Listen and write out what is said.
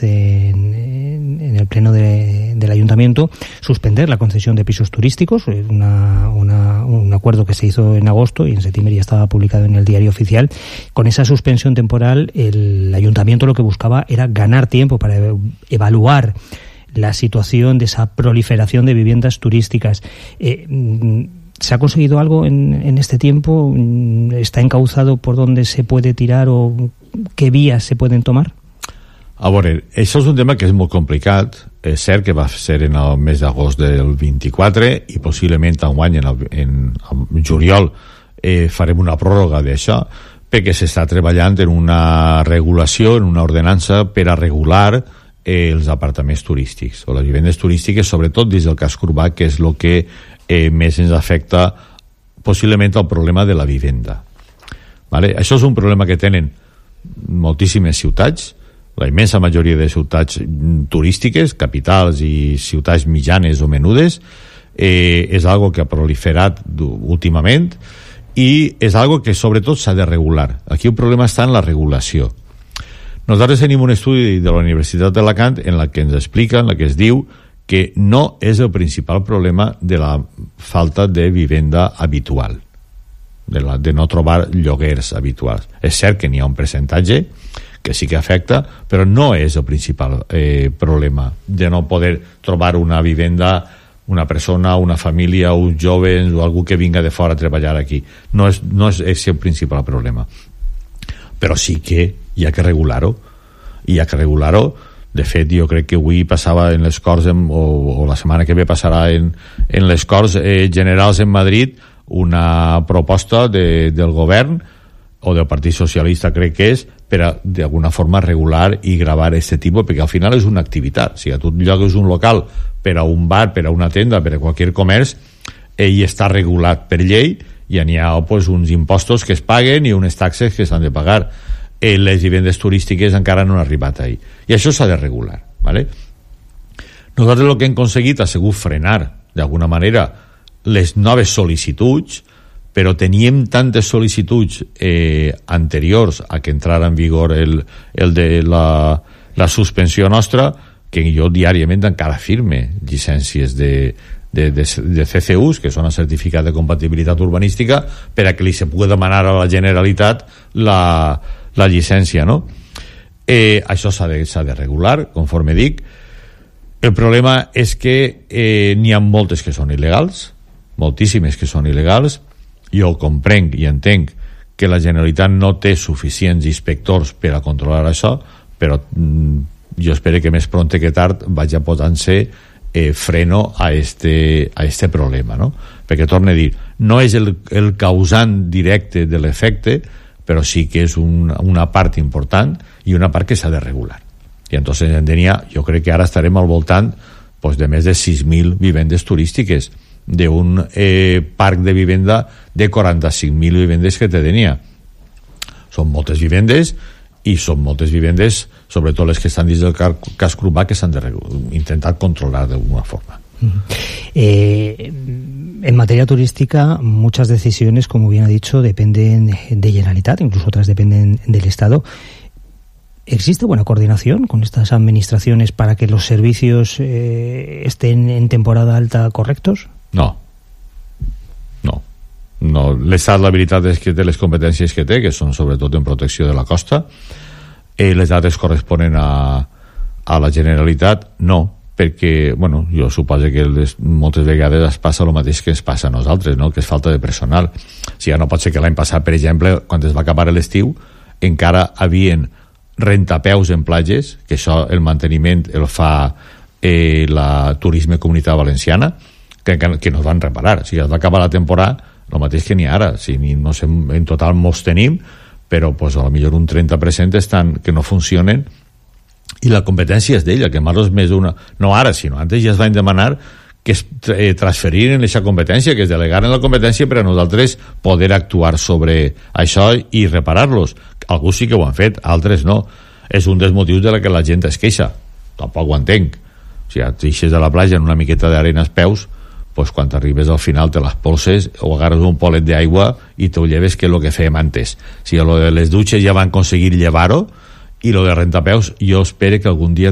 en el pleno del ayuntamiento suspender la concesión de pisos turísticos, un acuerdo que se hizo en agosto y en septiembre ya estaba publicado en el Diario Oficial. Con esa suspensión temporal, el ayuntamiento lo que buscaba era ganar tiempo para evaluar la situación de esa proliferación de viviendas turísticas. ¿Se ha conseguido algo en este tiempo? ¿Está encauzado por dónde se puede tirar o qué vías se pueden tomar? A veure, això és un tema que és molt complicat. És cert que va ser en el mes d'agost del 24 i possiblement enguany en juliol farem una pròrroga d'això, perquè s'està treballant en una regulació, en una ordenança per a regular els apartaments turístics o les vivendes turístiques, sobretot dins del casc urbà, que és el que més ens afecta possiblement el problema de la vivenda. Vale? Això és un problema que tenen moltíssimes ciutats, la immensa majoria de ciutats turístiques, capitals i ciutats mitjanes o menudes. És algo que ha proliferat últimament i és algo que sobretot s'ha de regular. Aquí el problema està en la regulació. Nosaltres tenim un estudi de la Universitat d'Alacant en la que ens explica, en la que es diu que no és el principal problema de la falta de vivenda habitual, de no trobar lloguers habituals. És cert que n'hi ha un percentatge que sí que afecta, però no és el principal problema de no poder trobar una vivenda, una persona, una família, uns joves o algú que vinga de fora a treballar aquí. No és el principal problema. Però sí que hi ha que regular-ho. I hi ha que regular-ho. De fet, jo crec que avui passava en les Corts, o la setmana que ve passarà en les Corts Generals en Madrid, una proposta del govern o del Partit Socialista, crec que és, per a, d'alguna forma, regular i gravar aquest tipus, perquè al final és una activitat. Si tu llogues un local per a un bar, per a una tenda, per a qualsevol comerç, ell està regulat per llei i n'hi ha pues, uns impostos que es paguen i unes taxes que s'han de pagar. Les vivendes turístiques encara no han arribat ahí. I això s'ha de regular. ¿Vale? Nosaltres el que hem aconseguit ha sigut frenar, d'alguna manera, les noves sol·licituds, però teníem tantes sol·licituds anteriors a que entrara en vigor el de la suspensió nostra que jo diàriament encara firme llicències de CCUs, que són el certificat de compatibilitat urbanística, per a que li se pugui demanar a la Generalitat la llicència, no? Això s'ha de regular, conforme dic. El problema és que n'hi ha moltes que són il·legals, moltíssimes que són il·legals. Jo comprenc i entenc que la Generalitat no té suficients inspectors per a controlar això, però jo espero que més pront que tard vagi posant-se freno a este problema, no? Perquè, torno a dir, no és el causant directe de l'efecte, però sí que és una part important i una part que s'ha de regular. I entonces jo crec que ara estarem al voltant pues, de més de 6.000 vivendes turístiques, d'un parc de vivenda de 45.000 vivendes que tenia. Són moltes vivendes i són moltes vivendes, sobretot les que estan dins del casc urbà, que s'han intentat controlar d'alguna forma. En materia turística, muchas decisiones, como bien ha dicho, dependen de Generalitat, incluso otras dependen del Estado. ¿Existe buena coordinación con estas administraciones para que los servicios estén en temporada alta correctos? No. L'Estat, la veritat és que té les competències que té, que són sobretot en protecció de la costa. Les dades corresponen a la Generalitat? No, perquè, bueno, jo suposo que moltes vegades es passa el mateix que es passa a nosaltres, no? Que és falta de personal. O sigui, no pot ser que l'any passat, per exemple, quan es va acabar l'estiu, encara havien rentapeus en platges, que això, el manteniment el fa la Turisme Comunitat Valenciana, que no es van reparar. O sigui, es va acabar la temporada, el mateix que n'hi ha ara. O sigui, no sé, en total molts tenim, però pues, a lo millor un 30% estan que no funcionen, i la competència és d'ella, que més més una... No ara, sinó antes ja es van demanar que es transferiren aquesta competència, que es delegaren la competència per a nosaltres poder actuar sobre això i reparar-los. Alguns sí que ho han fet, altres no. És un dels motius de la que la gent es queixa. Tampoc ho entenc. O sigui, t'eixes de la platja en una miqueta d'arena als peus, pues quan arribes al final te les polses o agarres un polet d'aigua i te ho lleves, que és el que fèiem antes. O sigui, lo de les dutxes ja van aconseguir llevar-ho i lo de rentapeus jo espero que algun dia